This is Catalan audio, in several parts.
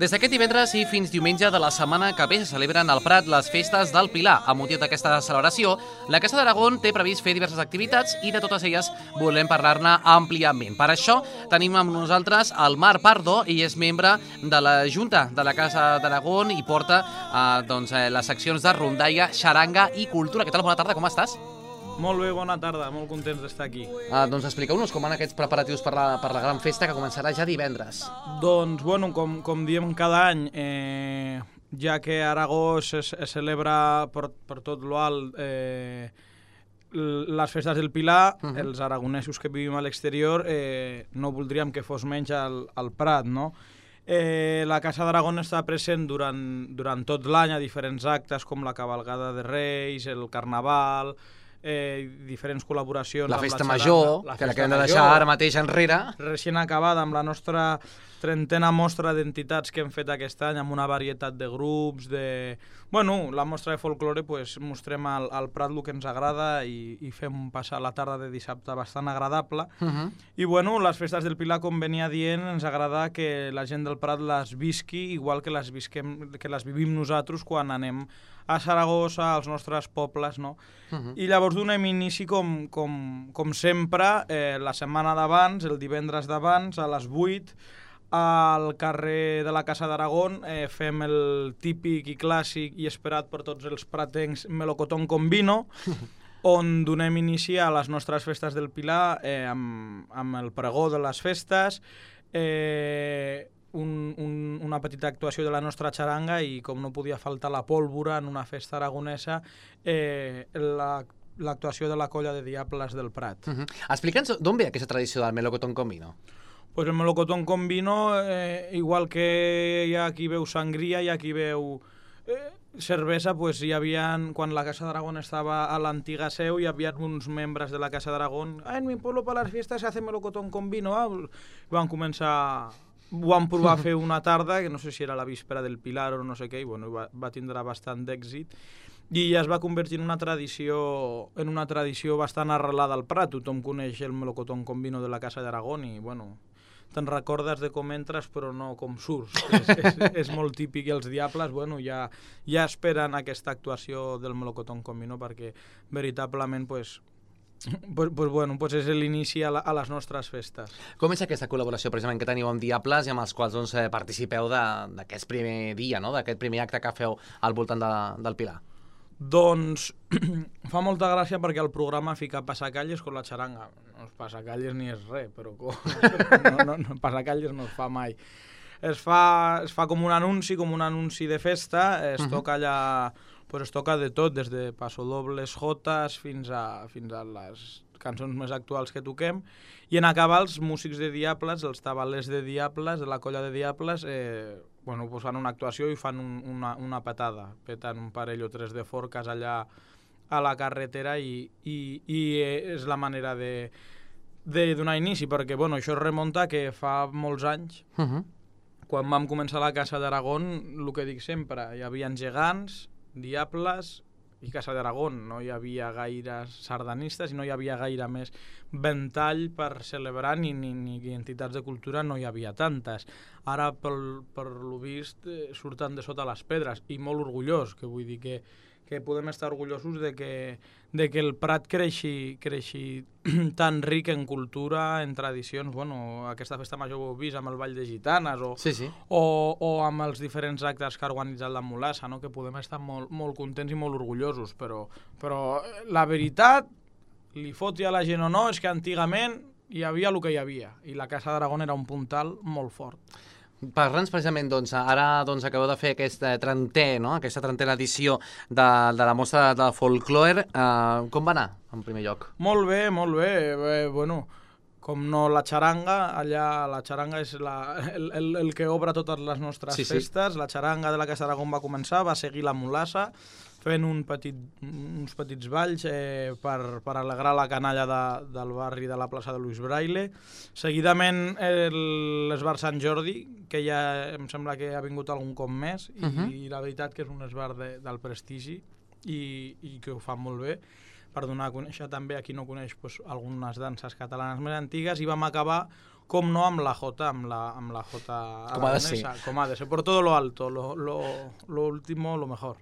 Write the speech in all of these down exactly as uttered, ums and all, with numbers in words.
Des d'aquest divendres i fins diumenge de la setmana que ve se celebren al Prat les festes del Pilar. Amb motiu d'aquesta celebració, la Casa d'Aragón té previst fer diverses activitats i de totes elles volem parlar-ne àmpliament. Per això tenim amb nosaltres el Marc Pardo, i és membre de la Junta de la Casa d'Aragón i porta eh, doncs, eh, les seccions de rondalla, xaranga i cultura. Què tal? Bona tarda, com estàs? Molt bé, bona tarda, molt contents d'estar aquí. Uh, doncs expliqueu-nos com van aquests preparatius per la, per la gran festa que començarà ja divendres. Doncs, bueno, com, com diem cada any, eh, ja que a Aragó se, se celebra per, per tot l'alt eh, les festes del Pilar, uh -huh. els aragonesos que vivim a l'exterior eh, no voldríem que fos menys al, al Prat, no? Eh, la Casa d'Aragón està present durant, durant tot l'any a diferents actes com la cavalgada de Reis, el Carnaval, Eh, diferents col·laboracions la amb festa la major, la que la festa que hem de major, deixar ara mateix enrere. Recient acabada amb la nostra trentena mostra d'entitats que hem fet aquest any, amb una varietat de grups, de... Bueno, la mostra de folklore, pues, mostrem al, al Prat el que ens agrada i, i fem passar la tarda de dissabte bastant agradable. Uh -huh. I, bueno, les festes del Pilar, com venia dient, ens agrada que la gent del Prat les visqui igual que les, visquem, que les vivim nosaltres quan anem a Saragossa, als nostres pobles, no? Uh -huh. I llavors donem inici, com, com, com sempre, eh, la setmana d'abans, el divendres d'abans, a les vuit, al carrer de la Casa d'Aragón, eh, fem el típic i clàssic i esperat per tots els pratencs melocotón con vino, on donem inici a les nostres festes del Pilar eh, amb, amb el pregó de les festes, eh, un, un, una petita actuació de la nostra xaranga i, com no podia faltar la pólvora en una festa aragonesa, eh, la l'actuació de la colla de Diables del Prat. Uh -huh. Explica'ns d'on ve aquesta tradició del melocotón con vino. Pues el melocotón con vino, eh, igual que hi ha qui veu sangria, hi ha qui veu eh, cervesa, pues hi havia, quan la Casa d'Aragón estava a l'antiga seu, hi havia uns membres de la Casa d'Aragón, ah, en mi pueblo para las fiestas se hace melocotón con vino, ah, van començar, van provar a fer una tarda, que no sé si era la víspera del Pilar o no sé què, i bueno, va, va tindre bastant d'èxit, i ja es va convertir en una tradició en una tradició bastant arrelada al Prat. Tothom coneix el melocotón con vino de la Casa d'Aragón i, bueno, te'n recordes de com entres però no com surts. és, és, és molt típic, i els Diables, bueno, ja, ja esperen aquesta actuació del melocotón con vino perquè veritablement, pues, pues, pues, bueno, pues és l'inici a, la, a les nostres festes. Com és aquesta col·laboració precisament que teniu amb Diables i amb els quals doncs, participeu d'aquest primer dia, no? D'aquest primer acte que feu al voltant de, del Pilar? Doncs fa molta gràcia perquè el programa fica passacalles con la xaranga. No és passacalles ni és res, però com... no, no, no, passacalles no es fa mai. Es fa, es fa com un anunci, com un anunci de festa, es uh -huh. toca allà, pues es toca de tot, des de passodobles, jotes, fins a, fins a les cançons més actuals que toquem, i en acabar els músics de Diables, els tabalers de Diables, de la colla de Diables, eh, bueno, pues fan una actuació i fan un, una, una patada, peten un parell o tres de forques allà a la carretera i, i, i és la manera de, de donar inici, perquè bueno, això es remunta que fa molts anys, uh -huh. quan vam començar la Casa d'Aragón, el que dic sempre, hi havia gegants, Diables i Casa d'Aragón, no hi havia gaires sardanistes i no hi havia gaire més ventall per celebrar, ni, ni, ni entitats de cultura no hi havia tantes. Ara, per, per lo vist, eh, surten de sota les pedres, i molt orgullós, que vull dir que, que podem estar orgullosos de que, de que el Prat creixi, creixi tan ric en cultura, en tradicions. Bueno, aquesta festa major ho heu vist amb el Ball de Gitanes o, sí, sí. o, o amb els diferents actes que ha organitzat la Mulassa, no? Que podem estar molt, molt contents i molt orgullosos, però, però la veritat, li foti a la gent o no, és que antigament hi havia el que hi havia, i la Casa d'Aragón era un puntal molt fort. Parla'ns precisament, doncs, ara doncs, acabeu de fer aquest trentè, no? Aquesta trentena edició de, de la mostra de folklore. Uh, com va anar, en primer lloc? Molt bé, molt bé. Bé, bueno, com no, la xaranga, allà la xaranga és la, el, el, el que obre totes les nostres sí, festes. Sí. La xaranga de la Casa d'Aragón va començar, va seguir la Mulassa, fent un petit, uns petits balls eh, per, per alegrar la canalla de, del barri de la plaça de Luis Braille. Seguidament l'esbar Sant Jordi, que ja em sembla que ha vingut algun cop més, i, uh -huh. i la veritat que és un esbar de, del prestigi i, i que ho fa molt bé, per donar a conèixer també a qui no coneix pues, algunes danses catalanes més antigues, i vam acabar com no amb la J, amb la, amb la J com ha de ser. Com ha de ser, por todo lo alto, lo, lo, lo último, lo mejor.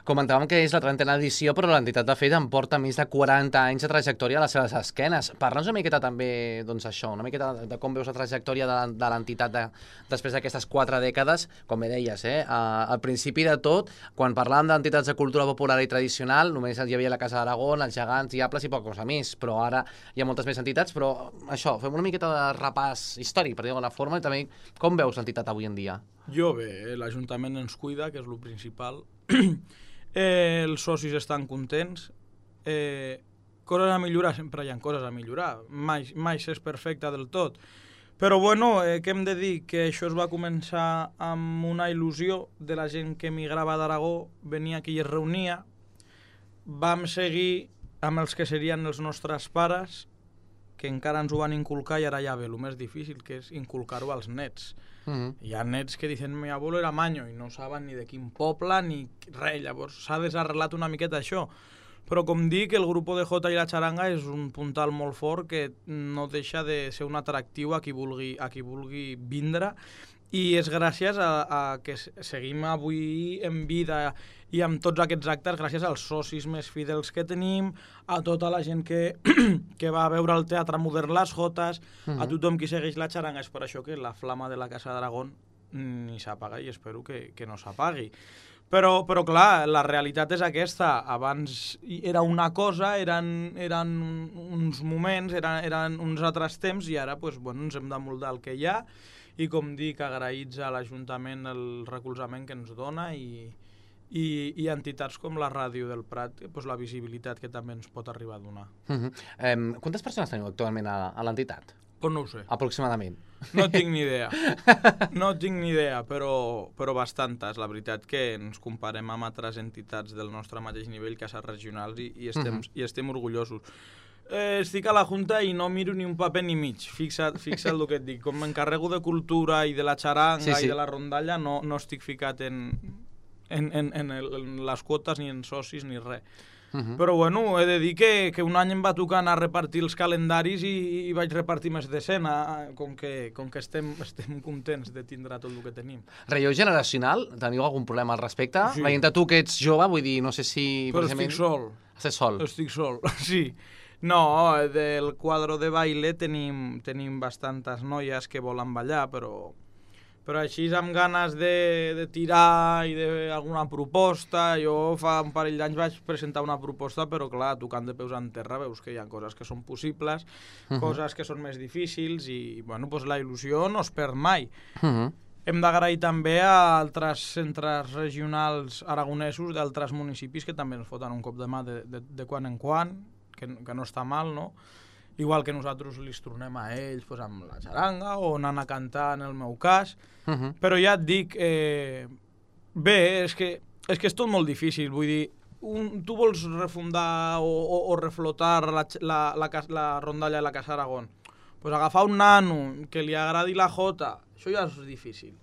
Comentàvem que és la trentena edició, però l'entitat de fet em porta més de quaranta anys de trajectòria a les seves esquenes. Parla'ns una miqueta també, doncs això, una miqueta de com veus la trajectòria de, de l'entitat de, després d'aquestes quatre dècades, com bé deies, eh? Al principi de tot, quan parlàvem d'entitats de cultura popular i tradicional, només hi havia la Casa d'Aragón, els Gegants, Diables i poca cosa més, però ara hi ha moltes més entitats, però això, fem una miqueta de repàs històric, per dir d'alguna forma, i també com veus l'entitat avui en dia? Jo bé, l'Ajuntament ens cuida, que és el principal. eh, els socis estan contents. Eh, coses a millorar, sempre hi ha coses a millorar. Mai, mai s'és perfecte del tot. Però bueno, eh, què hem de dir? Que això es va començar amb una il·lusió de la gent que emigrava d'Aragó, venia aquí i es reunia. Vam seguir amb els que serien els nostres pares, que encara ens ho van inculcar i ara ja ve el més difícil, que és inculcar-ho als nets. Uh-huh. Hi ha nets que diuen mi abuelo era maño i no saben ni de quin poble ni res, llavors s'ha desarrelat una miqueta això. Però com dic, el grup de Jota i la xaranga és un puntal molt fort que no deixa de ser un atractiu a qui vulgui, a qui vulgui vindre, i és gràcies a, a que seguim avui en vida i amb tots aquests actes, gràcies als socis més fidels que tenim, a tota la gent que, que va veure el Teatre Modern Les Jotes, uh-huh. a tothom qui segueix la xaranga. És per això que la flama de la Casa d'Aragón ni s'apaga i espero que, que no s'apagui. Però, però clar, la realitat és aquesta. Abans era una cosa, eren, eren uns moments, eren, eren uns altres temps, i ara pues, bueno, ens hem de moldar el que hi ha, i com dic, agraïts a l'Ajuntament el recolzament que ens dona i, i, i entitats com la Ràdio del Prat, pues, la visibilitat que també ens pot arribar a donar. Uh-huh. um, quantes persones teniu actualment a, a l'entitat? Pues no ho sé. Aproximadament. No tinc ni idea. No tinc ni idea, però, però bastantes. La veritat que ens comparem amb altres entitats del nostre mateix nivell, cases regionals, i, i, estem, uh-huh. i estem orgullosos. Eh, estic a la Junta i no miro ni un paper ni mig. Fixa't, fixa't el que et dic. Com m'encarrego de cultura i de la xaranga sí, sí. i de la rondalla, no, no estic ficat en, en, en, en, el, en les quotes, ni en socis, ni res. Uh-huh. Però bueno, he de dir que, que un any em va tocar anar a repartir els calendaris i, i vaig repartir més de cent, com que, com que estem, estem contents de tindre tot el que tenim. Relleu generacional? Teniu algun problema al respecte? Sí. Veient tu que ets jove, vull dir, no sé si... Però estic sol. Estàs sol? Estic sol, sí. No, del quadro de baile tenim, tenim bastantes noies que volen ballar, però, però així amb ganes de, de tirar i d'alguna proposta. Jo fa un parell d'anys vaig presentar una proposta, però clar, tocant de peus en terra veus que hi ha coses que són possibles, uh-huh. coses que són més difícils, i bueno, pues la il·lusió no es perd mai. Uh-huh. Hem d'agrair també a altres centres regionals aragonesos d'altres municipis que també ens foten un cop de mà de, de, de quan en quan, que, que no està mal, no? Igual que nosaltres li tornem a ells pues, amb la xaranga o anant a cantar, en el meu cas. Uh-huh. Però ja et dic, eh, bé, és que, és que és tot molt difícil. Vull dir, un, tu vols refundar o, o, o reflotar la, la, la, la rondalla de la Casa Aragón. Pues agafar un nano que li agradi la jota, això ja és difícil.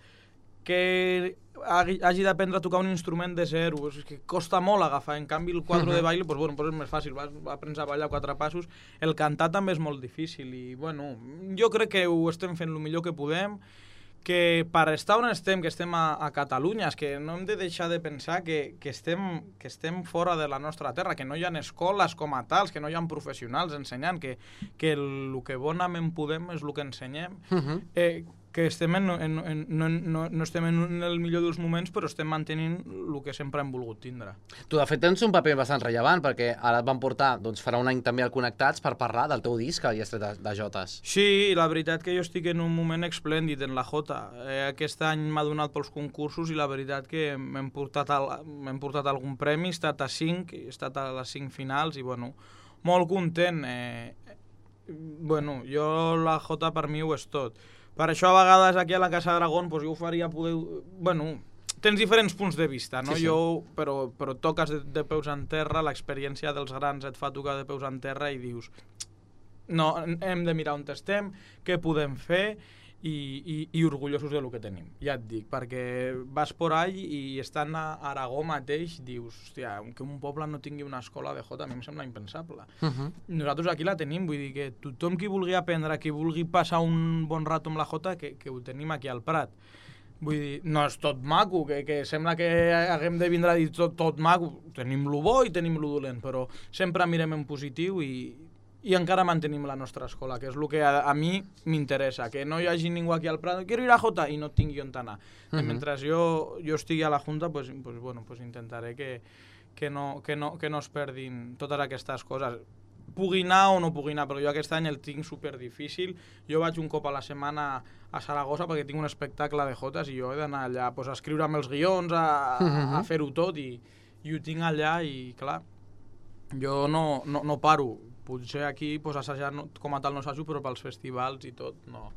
Que hagi d'aprendre a tocar un instrument de zero, és que costa molt agafar. En canvi, el quadre uh-huh. de baile pues, bueno, pues és més fàcil, vas aprendre a ballar quatre passos. El cantar també és molt difícil i bueno, jo crec que ho estem fent el millor que podem, que per estar on estem, que estem a, a Catalunya, és que no hem de deixar de pensar que, que, estem, que estem fora de la nostra terra, que no hi ha escoles com a tals, que no hi ha professionals ensenyant, que, que el que bonament podem és el que ensenyem. Uh-huh. eh, que estem en, en, en, no, no, no estem en el millor dels moments, però estem mantenint el que sempre hem volgut tindre. Tu, de fet, tens un paper bastant rellevant, perquè ara et van portar, doncs farà un any també al Connectats per parlar del teu disc, el Llestret de, de Jotes. Sí, la veritat que jo estic en un moment esplèndid en la Jota. Eh, aquest any m'ha donat pels concursos i la veritat que m'hem portat, al, m'hem portat algun premi, he estat a cinc, he estat a les cinc finals i, bueno, molt content. Eh, bueno, jo la Jota per mi ho és tot. Per això a vegades aquí a la Casa d'Aragón pues, jo ho faria poder... Bueno, tens diferents punts de vista, no? Sí, sí. Jo, però, però toques de, de peus en terra, l'experiència dels grans et fa tocar de peus en terra i dius no, hem de mirar on estem, què podem fer i, i, i orgullosos del que tenim, ja et dic, perquè vas por ahí i estant a Aragó mateix dius, hòstia, que un poble no tingui una escola de Jota a mi em sembla impensable. Uh -huh. Nosaltres aquí la tenim, vull dir que tothom qui vulgui aprendre, qui vulgui passar un bon rato amb la Jota, que, que ho tenim aquí al Prat. Vull dir, no és tot maco, que, que sembla que haguem de vindre a dir tot, tot maco. Tenim lo bo i tenim lo dolent, però sempre mirem en positiu i, i encara mantenim la nostra escola, que és el que a, a mi m'interessa, que no hi hagi ningú aquí al Prat, quiero ir a Jota, i no tingui on anar. Uh -huh. Mentre jo, jo estigui a la Junta, pues, pues, bueno, pues intentaré que, que, no, que, no, que no es perdin totes aquestes coses. Pugui anar o no pugui anar, però jo aquest any el tinc super difícil. Jo vaig un cop a la setmana a Saragossa perquè tinc un espectacle de jotes i jo he d'anar allà pues, a escriure'm els guions, a, a fer-ho tot i, i ho tinc allà i clar, jo no, no, no paro. Potser aquí pues, assajar no, com a tal no assajo, però pels festivals i tot no,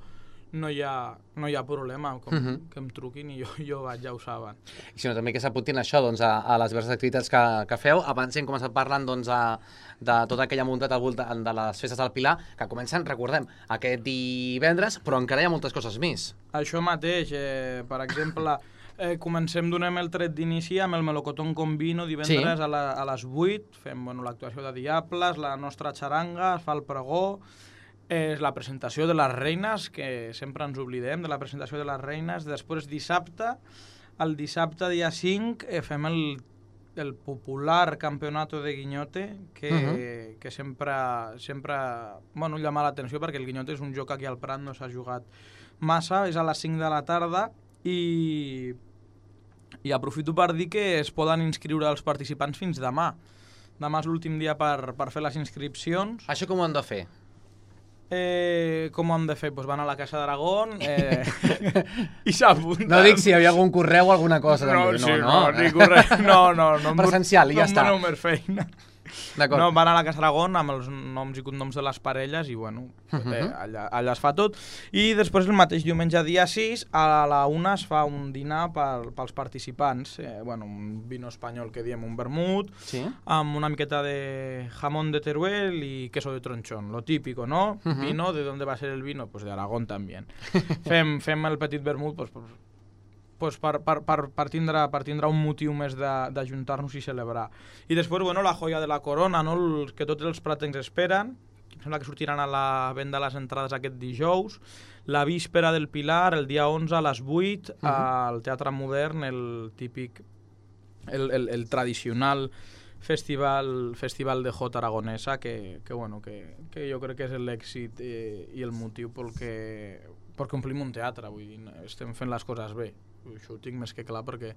no, hi, ha, no hi ha problema com, uh -huh. que em truquin i jo, jo vaig, ja ho saben. I si no, també que s'apuntin això doncs, a, a les diverses activitats que, que feu. Abans hem començat parlant doncs, a, de tota aquella muntat al voltant de les festes del Pilar, que comencen, recordem, aquest divendres, però encara hi ha moltes coses més. Això mateix, eh, per exemple... Eh, comencem, donem el tret d'inici amb el Melocotón con Vino divendres sí. a, la, a les vuit, fem bueno, l'actuació de Diables, la nostra xaranga, es fa el pregó, és eh, la presentació de les reines, que sempre ens oblidem de la presentació de les reines, després dissabte, el dissabte dia cinc eh, fem el, el popular Campeonato de Guinyote, que, uh-huh. que sempre, sempre bueno, llama l'atenció perquè el Guinyote és un joc aquí al Prat, no s'ha jugat massa, és a les cinc de la tarda i... I aprofito per dir que es poden inscriure els participants fins demà. Demà és l'últim dia per, per fer les inscripcions. Això com ho han de fer? Eh, com ho han de fer? Pues van a la Casa d'Aragón eh, i s'apunten. No dic si hi havia algun correu o alguna cosa. No, sí, no, no, ni correu. No, no, no. Presencial, i ja està. No em doneu més feina. No, van a la Casa d'Aragón amb els noms i cognoms de les parelles i bueno, uh-huh. eh, allà, allà es fa tot. I després el mateix diumenge dia sis a la una es fa un dinar per, pels participants, eh, bueno, un vino espanyol que diem un vermut, sí. amb una miqueta de jamón de Teruel y queso de tronchón, lo típico, ¿no? Uh-huh. Vino, ¿de dónde va a ser el vino? Pues de Aragón también. fem, fem el petit vermut pues, pues, pues per, per, per, per, tindre, per tindre un motiu més d'ajuntar-nos i celebrar. I després, bueno, la joia de la corona, no? El, que tots els pratencs esperen, em sembla que sortiran a la venda les entrades aquest dijous, la víspera del Pilar, el dia onze a les vuit, uh-huh. al Teatre Modern, el típic, el, el, el tradicional festival, festival de Jota aragonesa, que, que, bueno, que, que jo crec que és l'èxit eh, i el motiu pel que, perquè omplim un teatre, vull dir, estem fent les coses bé. Això ho tinc més que clar, perquè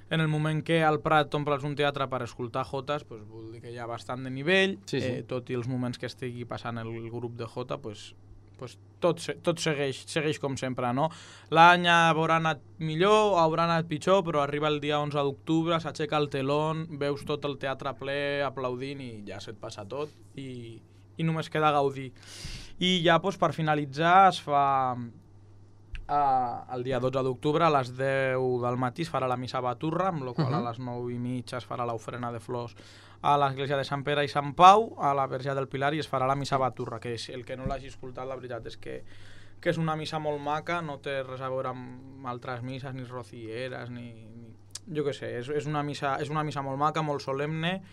en el moment que al Prat t'omples un teatre per escoltar Jotes, pues, vol dir que hi ha bastant de nivell, sí, sí. Eh, tot i els moments que estigui passant el grup de Jota, pues, pues, tot, tot segueix, segueix com sempre, no? L'any haurà anat millor, haurà anat pitjor, però arriba el dia onze d'octubre, s'aixeca el telón, veus tot el teatre ple aplaudint i ja se't passa tot i, i només queda gaudir. I ja pues, per finalitzar es fa... Uh, el dia dotze d'octubre a les deu del matí es farà la missa a Baturra, amb la qual uh-huh. a les nou i mitja es farà l'ofrena de flors a l'església de Sant Pere i Sant Pau, a la Verge del Pilar, i es farà la missa a Baturra, que és, el que no l'hagi escoltat, la veritat és que, que és una missa molt maca, no té res a veure amb altres misses, ni rocieres, ni... ni jo què sé, és, és, una missa, és una missa molt maca, molt solemne,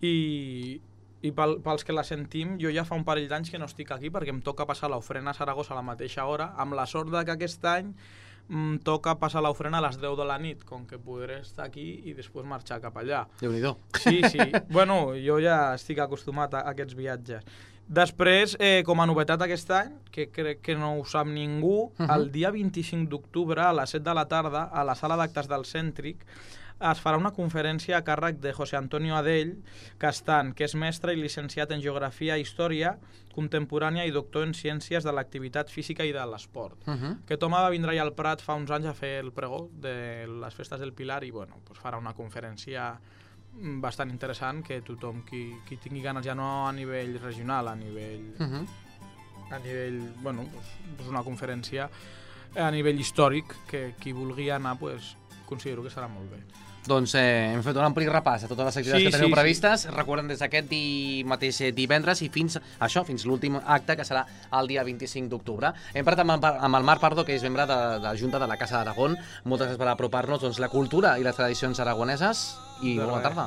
i... i pel, pels que la sentim, jo ja fa un parell d'anys que no estic aquí perquè em toca passar l'ofrena a Saragossa a la mateixa hora, amb la sort de que aquest any em toca passar l'ofrena a les deu de la nit, com que podré estar aquí i després marxar cap allà. Déu-n'hi-do. Sí, sí. Bueno, jo ja estic acostumat a, a aquests viatges. Després, eh, com a novetat aquest any, que crec que no ho sap ningú, uh-huh. el dia vint-i-cinc d'octubre a les set de la tarda, a la sala d'actes del Cèntric, es farà una conferència a càrrec de José Antonio Adell Castan, que és mestre i llicenciat en Geografia i Història contemporània i doctor en Ciències de l'Activitat Física i de l'Esport. Uh-huh. Aquest home va vindre al Prat fa uns anys a fer el pregó de les festes del Pilar i bueno, pues farà una conferència bastant interessant que tothom qui, qui tingui ganes, ja no a nivell regional, a nivell... Uh-huh. a nivell, bueno, pues, pues una conferència a nivell històric que qui vulgui anar, pues, considero que serà molt bé. Doncs eh, hem fet un ampli repàs a totes les activitats Sí, que teniu sí, previstes. Recordem des d'aquest di... mateix divendres i fins això, fins l'últim acte, que serà el dia vint-i-cinc d'octubre. Hem parlat amb, el- amb el Marc Pardo, que és membre de, de la Junta de la Casa d'Aragón. Moltes gràcies per apropar-nos doncs, la cultura i les tradicions aragoneses. I De bona res. tarda.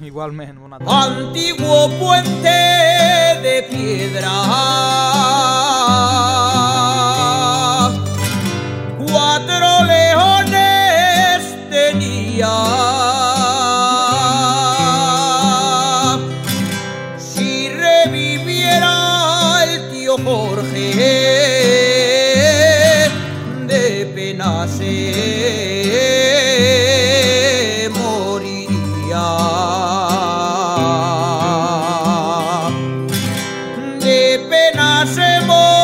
Igualment, bona tarda. Antiguo puente de piedra, cuatro leones tenía. Si reviviera el tío Jorge, de pena se moriría. De pena se moriría.